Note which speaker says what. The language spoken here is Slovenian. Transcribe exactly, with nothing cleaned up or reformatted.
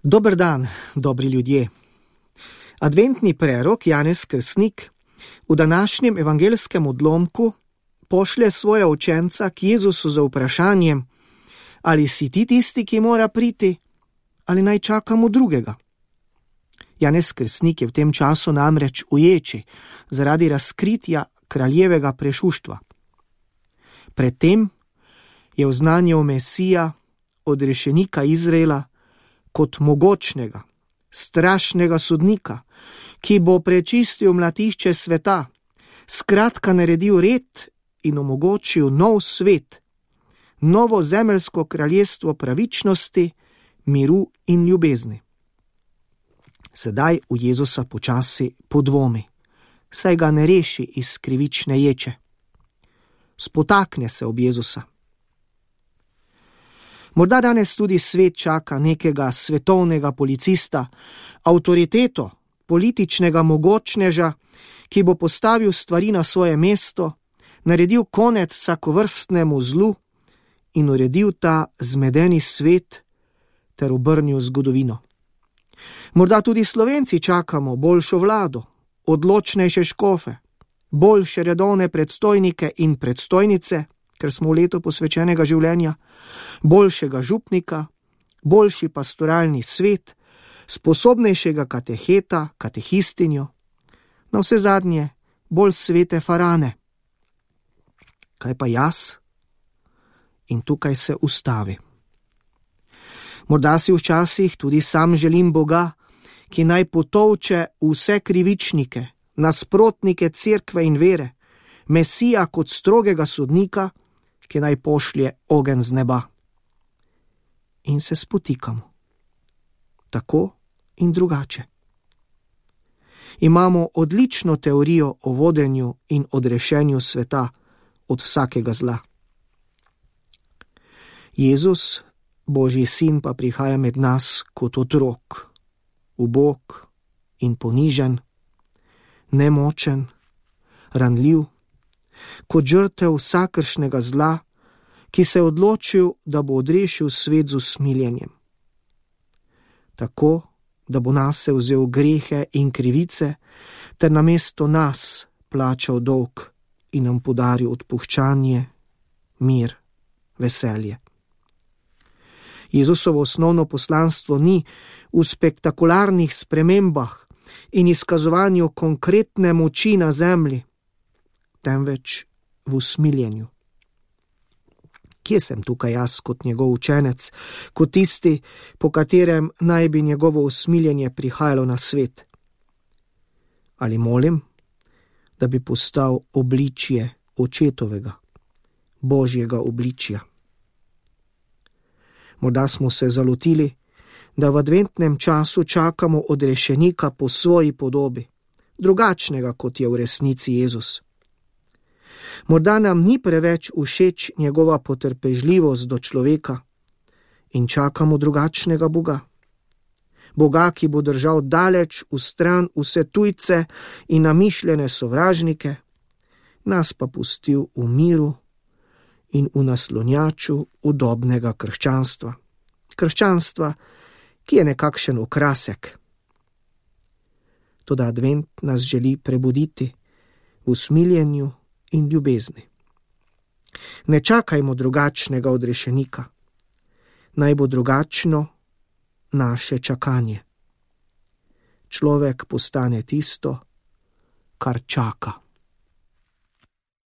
Speaker 1: Dober dan, dobri ljudje. Adventni prerok Janez Krstnik v današnjem evangelskem odlomku pošlje svoja učenca k Jezusu z vprašanjem, ali si ti tisti, ki mora priti, ali naj čakamo drugega. Janez Krstnik je v tem času namreč uječi zaradi razkritja kraljevega prešuštva. Predtem je oznanjal Mesija, odrešenika Izraela, kot mogočnega, strašnega sodnika, ki bo prečistil mlatišče sveta, skratka naredil red in omogočil nov svet, novo zemeljsko kraljestvo pravičnosti, miru in ljubezni. Sedaj v Jezusa počasi podvomi, saj ga ne reši iz krivične ječe. Spotakne se ob Jezusa. Morda danes tudi svet čaka nekega svetovnega policista, avtoriteto, političnega mogočneža, ki bo postavil stvari na svoje mesto, naredil konec vsakovrstnemu zlu in uredil ta zmedeni svet ter obrnil zgodovino. Morda tudi Slovenci čakamo boljšo vlado, odločnejše škofe, boljše redovne predstojnike in predstojnice, ker smo v letu posvečenega življenja, boljšega župnika, boljši pastoralni svet, sposobnejšega kateheta, katehistinjo, na vse zadnje bolj svete farane. Kaj pa jaz? In tukaj se ustavi. Morda si včasih tudi sam želim Boga, ki naj potolče vse krivičnike, nasprotnike cerkve in vere, Mesija kot strogega sodnika, ki naj pošlje ogenj z neba. In se spotikamo. Tako in drugače. Imamo odlično teorijo o vodenju in odrešenju sveta od vsakega zla. Jezus, Božji sin, pa prihaja med nas kot otrok, ubog in ponižen, nemočen, ranljiv, kot žrtev vsakršnega zla, ki se je odločil, da bo odrešil svet z usmiljenjem. Tako, da bo nase vzel grehe in krivice, ter namesto nas plačal dolg in nam podaril odpuščanje, mir, veselje. Jezusovo osnovno poslanstvo ni v spektakularnih spremembah in izkazovanju konkretne moči na zemlji, temveč v usmiljenju. Kje sem tukaj jaz kot njegov učenec, kot tisti, po katerem naj bi njegovo usmiljenje prihajalo na svet? Ali molim, da bi postal obličje očetovega, Božjega obličja? Morda smo se zalotili, da v adventnem času čakamo odrešenika po svoji podobi, drugačnega, kot je v resnici Jezus. Morda nam ni preveč všeč njegova potrpežljivost do človeka in čakamo drugačnega Boga. Boga, ki bo držal daleč v stran vse tujce in namišljene sovražnike, nas pa pustil v miru in v naslonjaču udobnega krščanstva. Krščanstva, ki je nekakšen okrasek. Toda advent nas želi prebuditi v usmiljenju in ljubezni. Ne čakajmo drugačnega odrešenika. Naj bo drugačno naše čakanje. Človek postane tisto, kar čaka.